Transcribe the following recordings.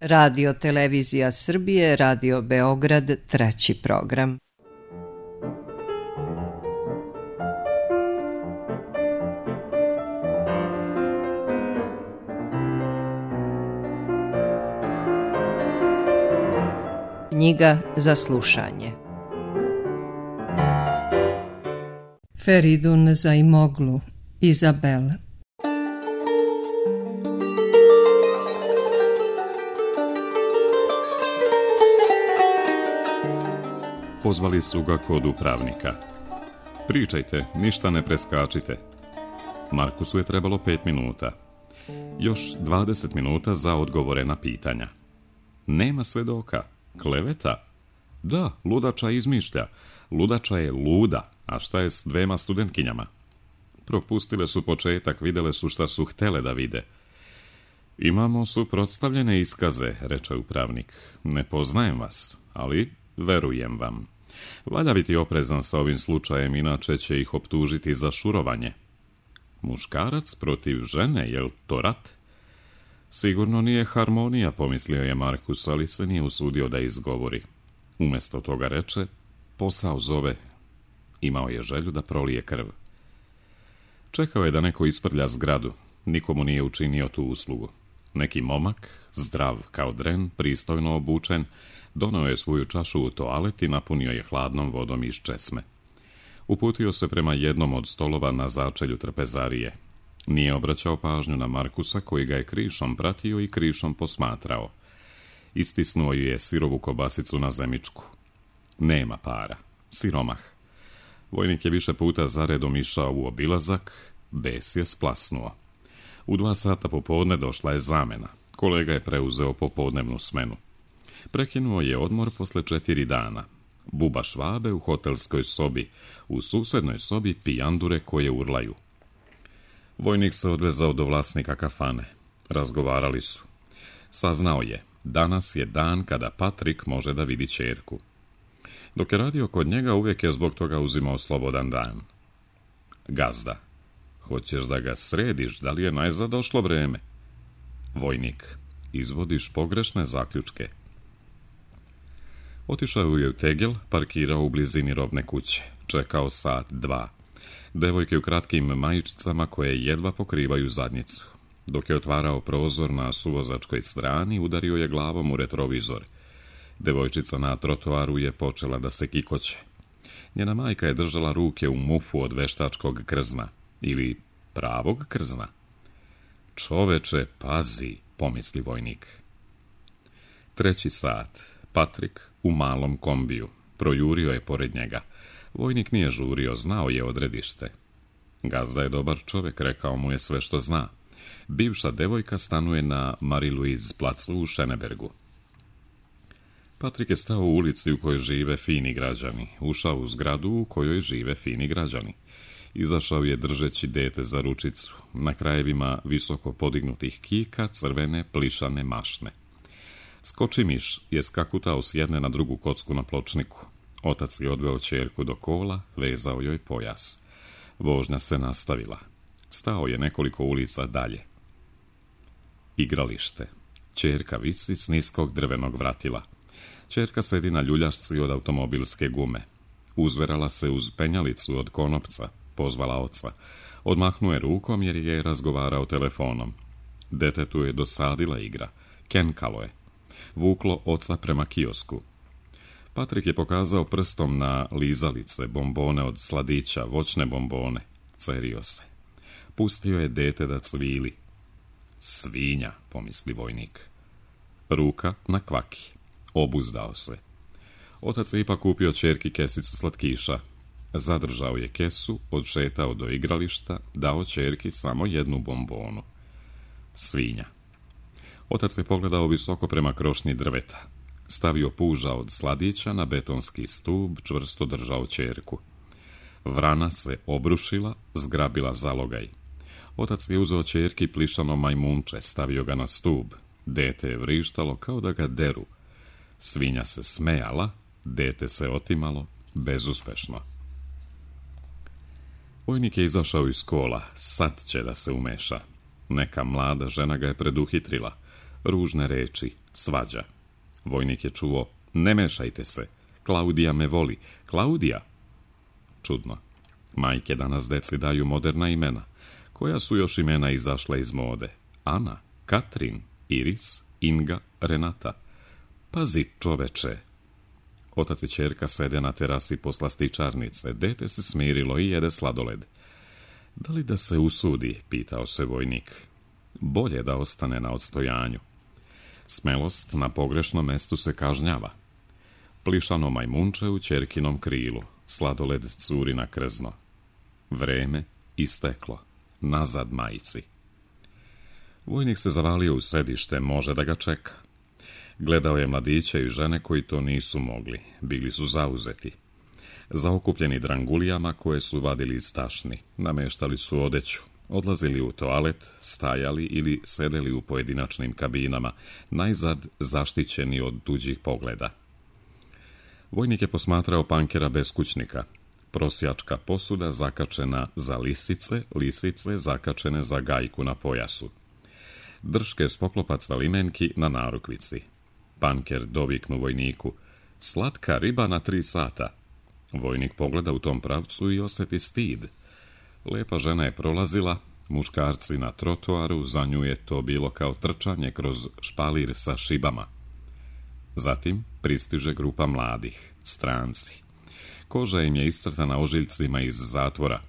Radio Televizija Srbije, Radio Beograd, 3. program. Knjiga za slušanje. Feridun Zaimoglu, Izabel. Pozvali su ga kod upravnika. Pričajte, ništa ne preskačite. Markusu je trebalo 5 minuta. Još 20 minuta za odgovore na pitanja. Nema svedoka. Kleveta? Da, ludača izmišlja. Ludača je luda, a šta je s 2 studentkinjama? Propustile su početak, videle su šta su htele da vide. Imamo suprotstavljene iskaze, reče upravnik. Ne poznajem vas, ali verujem vam. Valja biti oprezan sa ovim slučajem, inače će ih optužiti za šurovanje. Muškarac protiv žene, jel to rat? Sigurno nije harmonija, pomislio je Markus, ali se nije usudio da izgovori. Umjesto toga reče, posao zove. Imao je želju da prolije krv. Čekao je da neko isprlja zgradu. Nikomu nije učinio tu uslugu. Neki momak, zdrav kao dren, pristojno obučen, doneo je svoju čašu u toalet i napunio je hladnom vodom iz česme. Uputio se prema jednom od stolova na začelju trpezarije. Nije obraćao pažnju na Markusa, koji ga je krišom pratio i krišom posmatrao. Istisnuo je sirovu kobasicu na zemičku. Nema para. Siromah. Vojnik je više puta zaredom išao u obilazak, bes je splasnuo. U 2 sata popodne došla je zamena. Kolega je preuzeo popodnevnu smenu. Prekinuo je odmor posle 4 dana. Buba Švabe u hotelskoj sobi, u susednoj sobi pijandure koje urlaju. Vojnik se odvezao do vlasnika kafane. Razgovarali su. Saznao je, danas je dan kada Patrik može da vidi ćerku. Dok je radio kod njega, uvijek je zbog toga uzimao slobodan dan. Gazda, hoćeš da ga središ, da li je najzad došlo vreme? Vojnik, izvodiš pogrešne zaključke. Otišao je u tegel, parkirao u blizini robne kuće. Čekao 1, 2 sata. Devojke u kratkim majičicama koje jedva pokrivaju zadnjicu. Dok je otvarao prozor na suvozačkoj strani, udario je glavom u retrovizor. Devojčica na trotoaru je počela da se kikoće. Njena majka je držala ruke u mufu od veštačkog krzna. Ili pravog krzna. Čoveče, pazi, pomisli vojnik. 3. sat. Patrik u malom kombiju. Projurio je pored njega. Vojnik nije žurio, znao je odredište. Gazda je dobar čovjek, rekao mu je sve što zna. Bivša devojka stanuje na Marie-Louise placu u Schönebergu. Patrik je stao u ulici u kojoj žive fini građani. Ušao u zgradu u kojoj žive fini građani. Izašao je držeći dete za ručicu. Na krajevima visoko podignutih kika crvene plišane mašne. Skočimiš je skakutao s jedne na drugu kocku na pločniku. Otac je odveo ćerku do kola, vezao joj pojas. Vožnja se nastavila. Stao je nekoliko ulica dalje. Igralište. Ćerka visi s niskog drvenog vratila. Ćerka sedi na ljuljašci od automobilske gume. Uzverala se uz penjalicu od konopca, pozvala oca. Odmahnuo je rukom jer je razgovarao telefonom. Detetu je dosadila igra. Kenkalo je. Vuklo oca prema kiosku. Patrik je pokazao prstom na lizalice, bombone od sladića, voćne bombone. Cerio se. Pustio je dete da cvili. Svinja, pomisli vojnik. Ruka na kvaki. Obuzdao se. Otac je ipak kupio ćerki kesicu slatkiša. Zadržao je kesu, odšetao do igrališta, dao ćerki samo 1 bombonu. Svinja. Otac je pogledao visoko prema krošnji drveta. Stavio puža od sladića na betonski stub, čvrsto držao ćerku. Vrana se obrušila, zgrabila zalogaj. Otac je uzeo ćerki plišano majmunče, stavio ga na stub. Dete je vrištalo kao da ga deru. Svinja se smejala, dete se otimalo, bezuspešno. Vojnik je izašao iz kola, sad će da se umeša. Neka mlada žena ga je preduhitrila. ružne reči, svađa. Vojnik je čuo, ne mešajte se, Klaudija me voli, Klaudija. Čudno, majke danas deci daju moderna imena. Koja su još imena izašla iz mode? Ana, Katrin, Iris, Inga, Renata. Pazi, čoveče. Otac i ćerka sede na terasi poslastičarnice, dete se smirilo i jede sladoled. Da li da se usudi, pitao se vojnik. Bolje da ostane na odstojanju. Smelost na pogrešnom mestu se kažnjava. Plišano majmunče u ćerkinom krilu, sladoled curi na krzno. Vreme isteklo, nazad majici. Vojnik se zavalio u sedište, može da ga čeka. Gledao je mladiće i žene koji to nisu mogli, bili su zauzeti. Zaokupljeni drangulijama koje su vadili iz tašni, nameštali su odeću, odlazili u toalet, stajali ili sedeli u pojedinačnim kabinama, najzad zaštićeni od tuđih pogleda. Vojnik je posmatrao pankera beskućnika, prosjačka posuda zakačena za lisice, lisice zakačene za gajku na pojasu. Drške s poklopaca limenki na narukvici. Panker doviknu vojniku, slatka riba na 3 sata. Vojnik pogleda u tom pravcu i osjeti stid. Lepa žena je prolazila, muškarci na trotoaru, za nju je to bilo kao trčanje kroz špalir sa šibama. Zatim pristiže grupa mladih, stranci. Koža im je iscrtana ožiljcima iz zatvora.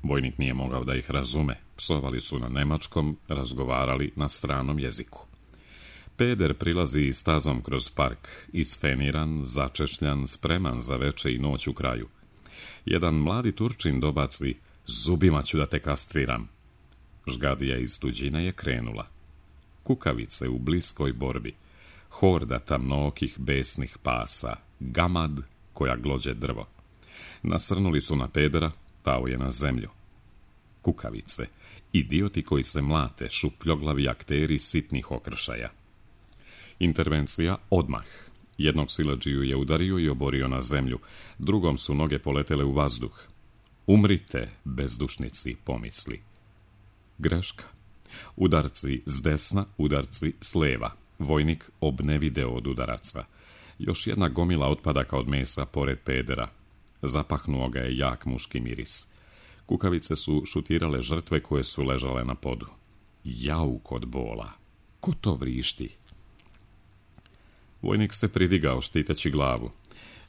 Vojnik nije mogao da ih razume, psovali su na nemačkom, razgovarali na stranom jeziku. Peder prilazi stazom kroz park, isfeniran, začešljan, spreman za veče i noć u kraju. Jedan mladi Turčin dobaci, zubima ću da te kastriram. Žgadija iz tuđine je krenula. Kukavice u bliskoj borbi, horda tamnookih besnih pasa, gamad koja glođe drvo. Nasrnuli su na Pedera, pao je na zemlju. Kukavice, idioti koji se mlate, šupljoglavi akteri sitnih okršaja. Intervencija odmah. Jednog siledžiju je udario i oborio na zemlju, drugom su noge poletele u vazduh. Umrite, bezdušnici, pomisli. Greška. Udarci s desna, udarci s leva. Vojnik obnevideo od udaraca. Još jedna gomila otpadaka od mesa pored Pedera. Zapahnuo ga je jak muški miris. Kukavice su šutirale žrtve koje su ležale na podu. Jauk od bola. Ko to vrišti? Vojnik se pridigao štiteći glavu.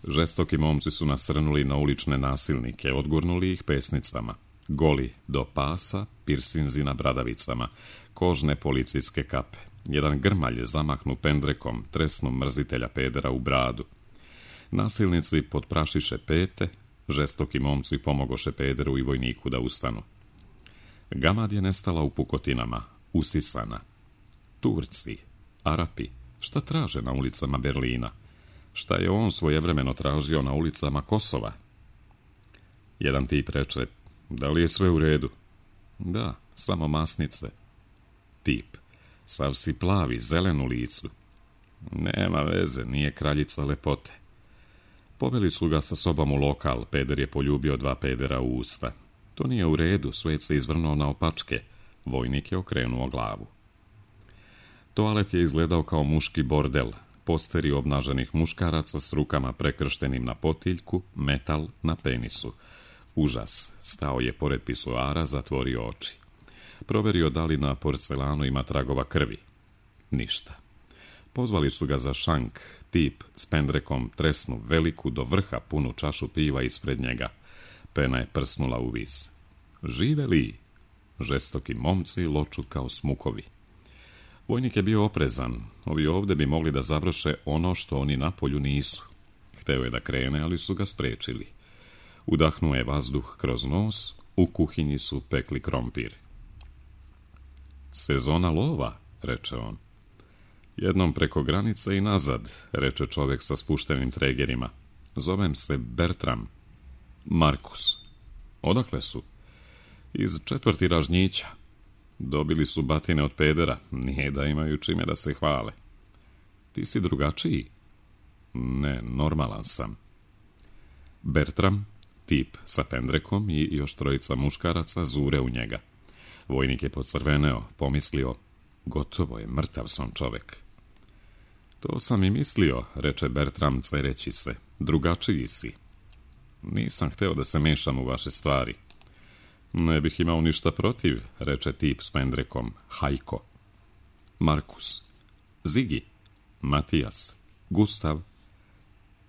Žestoki momci su nasrnuli na ulične nasilnike, odgurnuli ih pesnicama. Goli do pasa, pirsinzi na bradavicama, kožne policijske kape. Jedan grmalj zamahnu pendrekom, tresnu mrzitelja Pedera u bradu. Nasilnici potprašiše pete, žestoki momci pomogoše Pederu i vojniku da ustanu. Gamad je nestala u pukotinama, usisana. Turci, Arapi, šta traže na ulicama Berlina? Šta je on svojevremeno tražio na ulicama Kosova? Jedan tip reče, da li je sve u redu? Da, samo masnice. Tip, sav si plavi, zelen u licu. Nema veze, nije kraljica lepote. Poveli su ga sa sobom u lokal, Peder je poljubio 2 pedera u usta. To nije u redu, svet se izvrnuo na opačke. Vojnik je okrenuo glavu. Toalet je izgledao kao muški bordel, posteri obnaženih muškaraca s rukama prekrštenim na potiljku, metal na penisu. Užas, stao je pored pisoara, zatvorio oči. Proverio da li na porcelanu ima tragova krvi. Ništa. Pozvali su ga za šank, tip s pendrekom tresnu veliku do vrha punu čašu piva ispred njega. Pena je prsnula u vis. Žive li? Žestoki momci loču kao smukovi. Vojnik je bio oprezan, ovi ovde bi mogli da završe ono što oni na polju nisu. Hteo je da krene, ali su ga sprečili. Udahnuo je vazduh kroz nos, u kuhinji su pekli krompir. Sezona lova, reče on. Jednom preko granice i nazad, reče čovjek sa spuštenim tregerima. Zovem se Bertram. Markus. Odakle su? Iz 4. Ražnjića. Dobili su batine od Pedera, nije da imaju čime da se hvale. Ti si drugačiji? Ne, normalan sam. Bertram, tip sa pendrekom i još 3 muškaraca zure u njega. Vojnik je pocrveneo, pomislio, Gotovo je, mrtav sam čovek. To sam i mislio, reče Bertram cereći se. Drugačiji si. Nisam hteo da se mešam u vaše stvari. Ne bih imao ništa protiv, reče tip s pendrekom. Hajko. Markus. Zigi. Matijas. Gustav.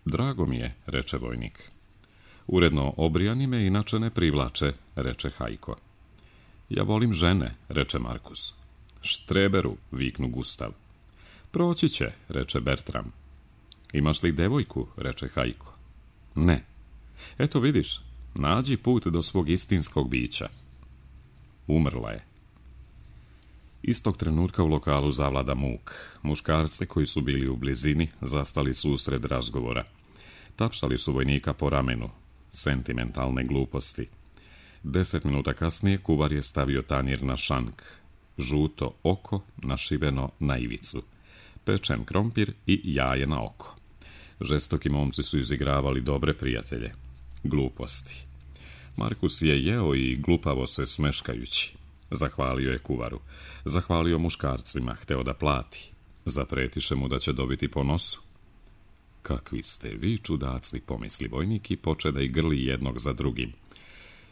Drago mi je, reče vojnik. Uredno obrijani me inače ne privlače, reče Hajko. Ja volim žene, reče Markus. Štreberu, viknu Gustav. Proći će, reče Bertram. Imaš li devojku, reče Hajko. Ne. Eto vidiš, nađi put do svog istinskog bića. Umrla je. Istog trenutka u lokalu zavlada muk. Muškarce koji su bili u blizini zastali su usred razgovora. Tapšali su vojnika po ramenu. Sentimentalne gluposti. 10 minuta kasnije kuvar je stavio tanjir na šank. Žuto oko našiveno na ivicu. Pečen krompir i jaje na oko. Žestoki momci su izigravali dobre prijatelje. Gluposti. Markus je jeo i glupavo se smeškajući. Zahvalio je kuvaru. Zahvalio muškarcima, hteo da plati. Zapretiše mu da će dobiti po nosu. Kakvi ste vi čudaci, pomisli vojnik i poče da ih grli jednog za drugim.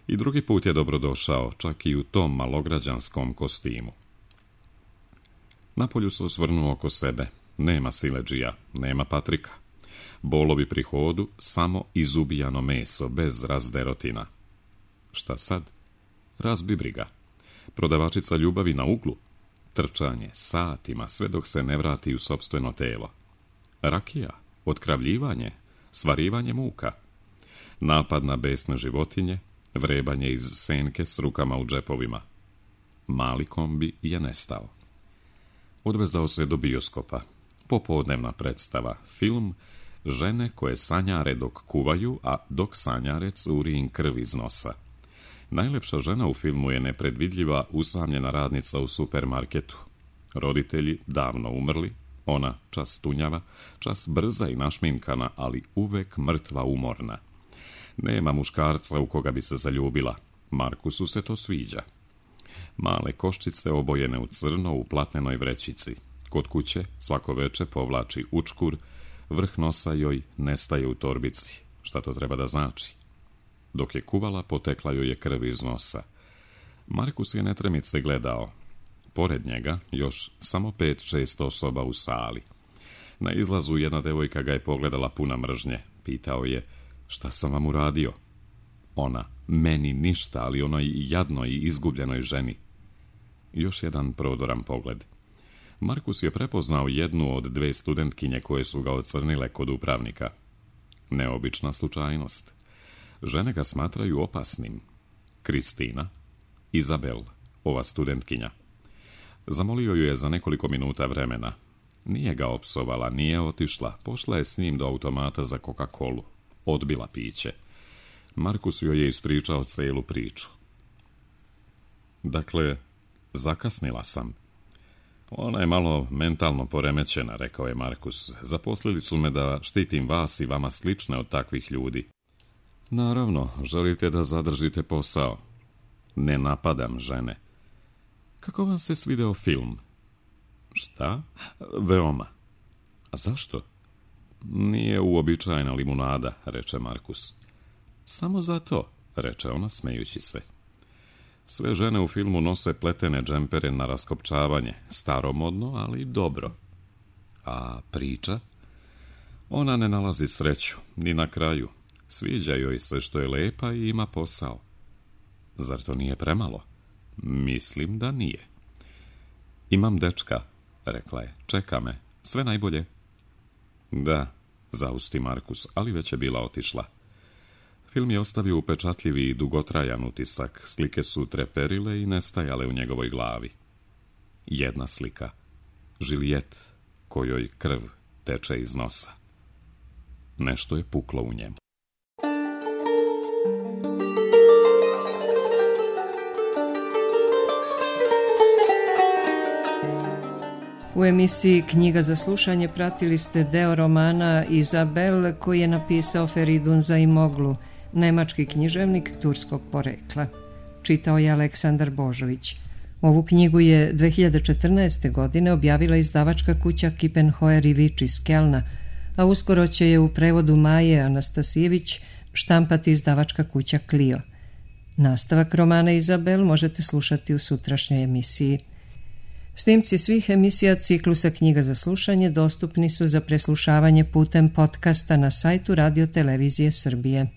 I drugi put je dobrodošao, čak i u tom malograđanskom kostimu. Napolju se osvrnuo oko sebe. Nema siledžija, nema Patrika. Bolovi pri hodu, samo izubijano meso, bez razderotina. Šta sad? Razbibriga. Prodavačica ljubavi na uglu. Trčanje, satima, sve dok se ne vrati u sopstveno telo. Rakija, otkravljivanje, svarivanje muka. Napad na besne životinje, vrebanje iz senke s rukama u džepovima. Mali kombi je nestao. Odvezao se do bioskopa. Popodnevna predstava, film, žene koje sanjare dok kuvaju, a dok sanjare curi im krv iz nosa. Najlepša žena u filmu je nepredvidljiva, usamljena radnica u supermarketu. Roditelji davno umrli, ona čas tunjava, čas brza i našminkana, ali uvek mrtva umorna. Nema muškarca u koga bi se zaljubila. Markusu se to sviđa. Male koščice obojene u crno u platnenoj vrećici. Kod kuće svako veče povlači učkur, vrh nosa joj nestaje u torbici. Šta to treba da znači? Dok je kuvala, potekla joj je krv iz nosa. Markus je netremice gledao. Pored njega još samo 5-6 osoba u sali. Na izlazu jedna devojka ga je pogledala puna mržnje. Pitao je, šta sam vam uradio? Ona, meni ništa, ali onoj jadnoj i izgubljenoj ženi. Još jedan prodoran pogled. Markus je prepoznao jednu od 2 studentkinje koje su ga ocrnile kod upravnika. Neobična slučajnost. Žene ga smatraju opasnim. Kristina, Izabel, ova studentkinja. Zamolio ju je za nekoliko minuta vremena. Nije ga opsovala, nije otišla, pošla je s njim do automata za Coca-Colu. Odbila piće. Markus joj je ispričao celu priču. Dakle, zakasnila sam. Ona je malo mentalno poremećena, rekao je Markus. Zaposlili su me da štitim vas i vama slične od takvih ljudi. Naravno, želite da zadržite posao. Ne napadam žene. Kako vam se svideo film? Šta? Veoma. A zašto? Nije uobičajena limunada, reče Markus. Samo zato, reče ona smejući se. Sve žene u filmu nose pletene džempere na raskopčavanje, staromodno, ali dobro. A priča? Ona ne nalazi sreću, ni na kraju. Sviđa joj se što je lepa i ima posao. Zar to nije premalo? Mislim da nije. Imam dečka, rekla je. Čeka me. Sve najbolje. Da, zausti Markus, ali već je bila otišla. Film je ostavio upečatljivi i dugotrajan utisak. Slike su treperile i nestajale u njegovoj glavi. Jedna slika. Juliet, kojoj krv teče iz nosa. Nešto je puklo u njemu. U emisiji Knjiga za slušanje pratili ste deo romana Izabel koji je napisao Feridun Zaimoglu, nemački književnik turskog porekla. Čitao je Aleksandar Božović. Ovu knjigu je 2014. godine objavila izdavačka kuća Kiepenheuer i Witsch iz Kelna, a uskoro će je u prevodu Maje Anastasijević štampati izdavačka kuća Clio. Nastavak romana Izabel možete slušati u sutrašnjoj emisiji. Snimci svih emisija ciklusa Knjiga za slušanje dostupni su za preslušavanje putem podcasta na sajtu Radio Televizije Srbije.